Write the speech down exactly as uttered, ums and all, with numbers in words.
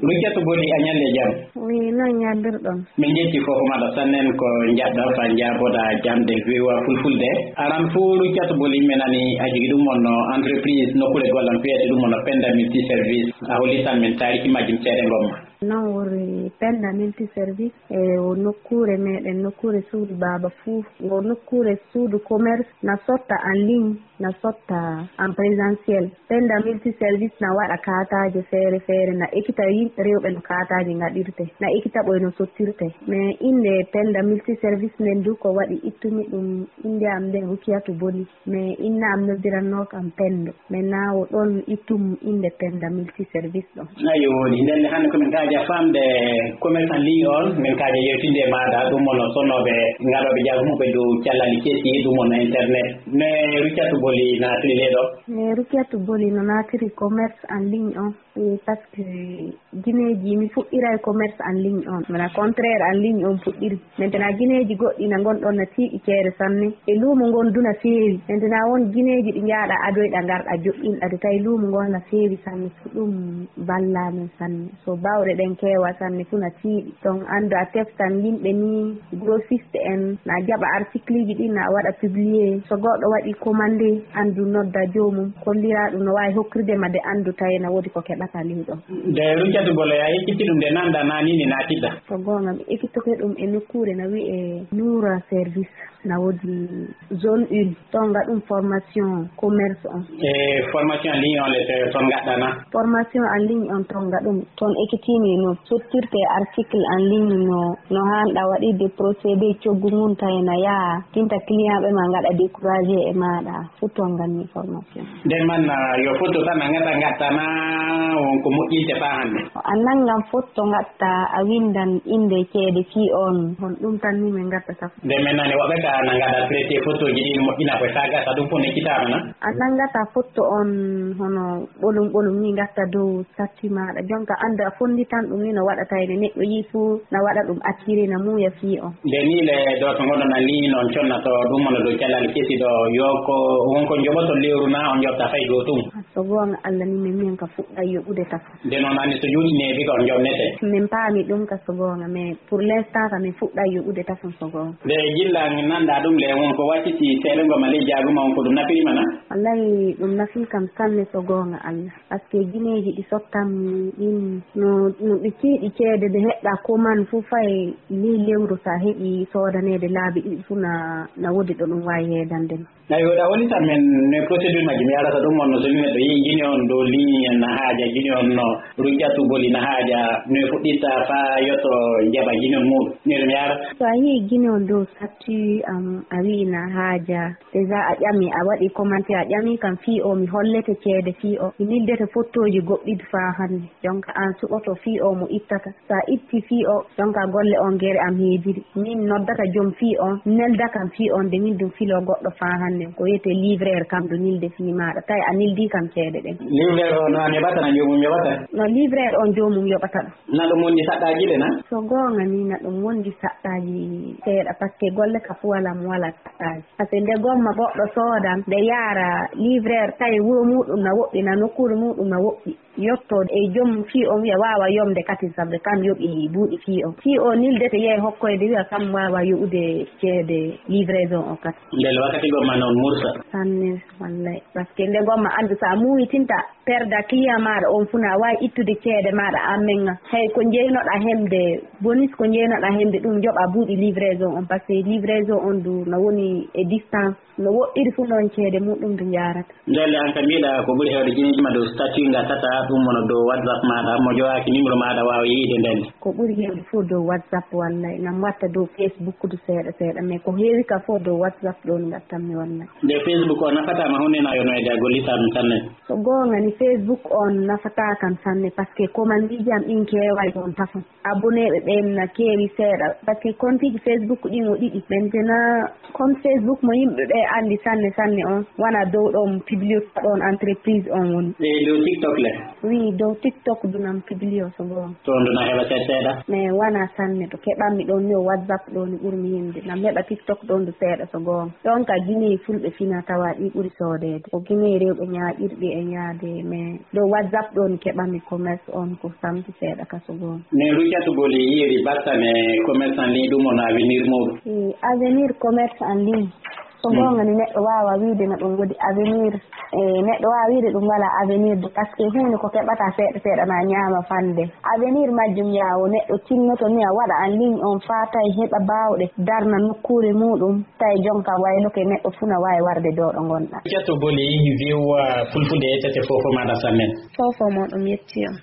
Ruccatu Boli, a ñalle jam. Wi, noon ñaallirɗon. Min njetti fof maɗa sannen ko njaɗɗa fa njaaboɗa jamɗe V O A Fulfulde. Aran fuu Ruccatu Boli, mi nani a jogii ɗum wonno entreprise nokkuure gollal fiyete ɗum wonno Penda Multiservice. A hollitan min taariki majjum seeɗa ngomma. Noon woni Penda Multiservice e o nokkuure meɗen, nokkuure suudu baaba fuu, o nokkuure suudu commerce na sotta en ligne, na sotta en présentiel. Penda Multiservice na waɗa kaataaje feere feere, na ekita yimɓe rewɓe no kaataaje ngaɗirte, na ekita ɓoy no sottirte. Mais innde Penda Multiservice nden du ko waɗi ittumi ɗum innde am nden Rukiyatu Boli. Mais inna am noddirannoo kam Pendo. Mais na o ɗon ittum innde Penda Multiservice ɗon. Ayo, woni. Nden hannde ko min kaaja famde commerce en ligne on, min kaaja yewtinde e maaɗa ɗum wonno sonnooɓe ngaɗooɓe jaagu muɓɓe dow callali kesi, ɗum wonno internet. Mais Rukiyatu Boli naatiri le ɗo? Mais Rukiyatu Boli no naatiri commerce en ligne on. E, parce que gineeji mi fuɗɗiray commerce en ligne on. Mana contraire en ligne on fuɗɗiri. Maintenant gineeji goɗɗi na ngon ɗon na tiiɗi ceede sanne. E luumo ngon du na feewi. Maintenant won gineeji ɗi njaaɗa adoyɗa ngarɗa joɗɗinɗa de tawi luumo ngon na feewi sanne. Ko ɗum ballaa min sanne. So bawɗe ɗen keewa sanne fu na tiiɗi. Donc anndu a teftan yimɓe ni grossiste en na jaɓa article ji ɗi na waɗa publier. So goɗɗo waɗi commande anndu nodda joomum kollira ɗum no waawi hokkirde ma de anndu tawi na woodi ko keɓata ley ɗon. De Ruccatu Boli, a ekkitti ɗum de nanda na ni ni naatiɗɗa? Ko goonga mi ekkitoke ɗum e nokkuure na wi'e Noura Service na woodi zone un. Toon ngaɗum formation commerce on. E formation en ligne on le toon ngaɗɗa na? Formation en ligne on toon ngaɗum. Toon ekitimi no sottirte article en ligne no, no haanɗa waɗirde procédé coggu ngun tawi na yaha tinta client ɓe ma ngaɗa découragé e maaɗa. Fu toon nganmi formation. Nden man, ah, yo foto tan a ngata ngatta na won ko moƴƴinte faa hannde? A nanngan foto ngatta, a winndan innde ceede fii on. Hon ɗum tan ni min ngatta saf. Nde men nani woɓɓe ka na ngaɗa traité fotoji ɗi moƴƴina ko taa gasa ɗum fof nekkitaama na? A nanngata foto on hono ɓolum ɓolum ni ngatta dow satti maaɗa. Jonka anndu a fonnditan ɗum ni no waɗata ene neɗɗo yii fuu na waɗa ɗum attiré na muuya fii on. Nde ni le ɗo to ngoɗon an ni non connato ɗum mono dow calal kesi ɗo yo ko won ko njoɓoto lewru na on njoɓta fay dow tun? So goonga Allah ni min min ka fuɗɗa yoɓude tafo. Nde noon anndi so juuti neeɓi ko on njoɓnete? Min paami ɗum ka so goonga, mais pour l'instant ka min fuɗɗa yoɓude tafo so goonga. Nde gilla nanɗa ɗum le won ko wacciti seeɗa ngo ma ley jaaguma on ko ɗum nafirima na? Wallahi ɗum nafi kam sanne so goonga Allah. Parce que gineeji ɗi sottammi ɗin no, no ɗi tiiɗi ceede de heɓɗa ko man fof fay ley lewru sa heɓi soodaneede laabi ɗiɗi fof na, na woodi ɗo ɗum waawi heedande ma. Ayo, ɗa woni tan men ne procédure majji mi arata ɗum on no so neɗɗo yii gine on dow ligne en na haaja gine on no rujjatu boli na haaja no e fuɗɗitta faa yotto jaɓa gine on muɗum. Nir mi ara. So a yii gine on dow statut am a wi'i na haaja. Déjà a ƴami, a waɗi commentaire, a ƴami kam fii o mi hollete ceede fii o. Mi nildete fottooji goɗɗiɗi faa hannde. Jonka aan suɓoto fii o mo ittata. So a itti fii o, jonka golle on gere am heediri. Min noddata jom fii on, nelda kam fii on, de min ɗum filo goɗɗo faa hannde. Ko wiyetee livreur kam ɗo nilde fii maaɗa. Tawi a nildi kam ceede ɗen. Livreur o no an yoɓata, na joomum yoɓata? No livreur on joomum yoɓata ɗum. Na ɗum wondi saɗɗaaji le na? So goonga ni na ɗum wondi saɗɗaaji seeɗa, parce que golle ka fu wala mo wala saɗɗaaji. Parce que nde gomma goɗɗo soodan, nde yaara livreur tawi wuro muɗum na woɗɗi, na nokkuure muɗum na woɗɗi. Yotto e jom fii on wiya waawa yomde kati sabu kam yoɓi buuɗi fii on. Fii o nildete yehi hokkoyde wiya kam waawa yoɓude ceede livraison o kati. Ndel wakkati gomma noon mursa. Sanne, wallay. Parce que nde gomma anndu so a muuyitinta perda client maaɗa on fuu na waawi ittude ceede maaɗa an men. Hay ko njeynoɗa hemde, bonus ko njeynoɗa hemde ɗum joɓa buuɗi livraison on, parce que livraison on du no woni e distance. No woɗɗiri fu noon ceede muɗum ndu njaarata. Ndelle an ka mbiɗa ko ɓuri heewde gineeji ma dow statut ngatata ɗum wona dow WhatsApp maaɗa mo jowaaki numéro maaɗa waawa yiide ndelle. Ko ɓuri heewde fof dow WhatsApp wallay, ngam watta dow Facebook du seeɗa seeɗa, mais ko heewi ka fof dow WhatsApp ɗon ngattanmi wallay. Nde Facebook o nafata ma hunde na yo no e da gollitaa ɗum sanne. So goonga ni Facebook on nafataa kam sanne, parce que commandiji am ɗin keeway ɗon tafon. Abonné ɓe ɓen na keewi seeɗa, parce que compte ji Facebook ɗin o ɗiɗi. Maintenant compte Facebook mo yimɓe ɓe anndi sanne sanne on, wona dow ɗon publicité ɗon entreprise on woni. E dow TikTok le? Wi dow TikTok du nam publio so goonga. Toon du na heɓa seeɗa seeɗa? Mais wana sanne, to keɓanmi ɗoon ni o WhatsApp ɗoo ni ɓurmi yimde. Nam heɓa TikTok ɗoon du seeɗa so goonga. Ɗoon ka Guinée fulɓe fina tawa ɗi ɓuri soodeede. Ko Guinée rewɓe ñaaƴirɗi e yaade, mais dow WhatsApp ɗoo ni keɓanmi commerce on ko samti seeɗa ka so goonga. Ne Rukiatu Boli yiiri battane commerce en ligne ɗum on avenir muɗum? E avenir commerce en ligne. So goonga ni neɗɗo waawa wiide no ɗum woodi avenir. E neɗɗo waawa wiide ɗum walaa avenir de, parce que huunde ko keɓata seeɗa seeɗa na ñaama fande. Avenir majjum yaawo neɗɗo tinnoto ni a waɗa en ligne on faa tawi heɓa baawɗe darna nokkuure muɗum, tawi jonka wayloke neɗɗo fuu na waawi warde doo ɗo ngonɗa. Rukiatu Boli, viwa fulfulde e tete fofo maɗa sannen. Fofo mo ɗum yetti on.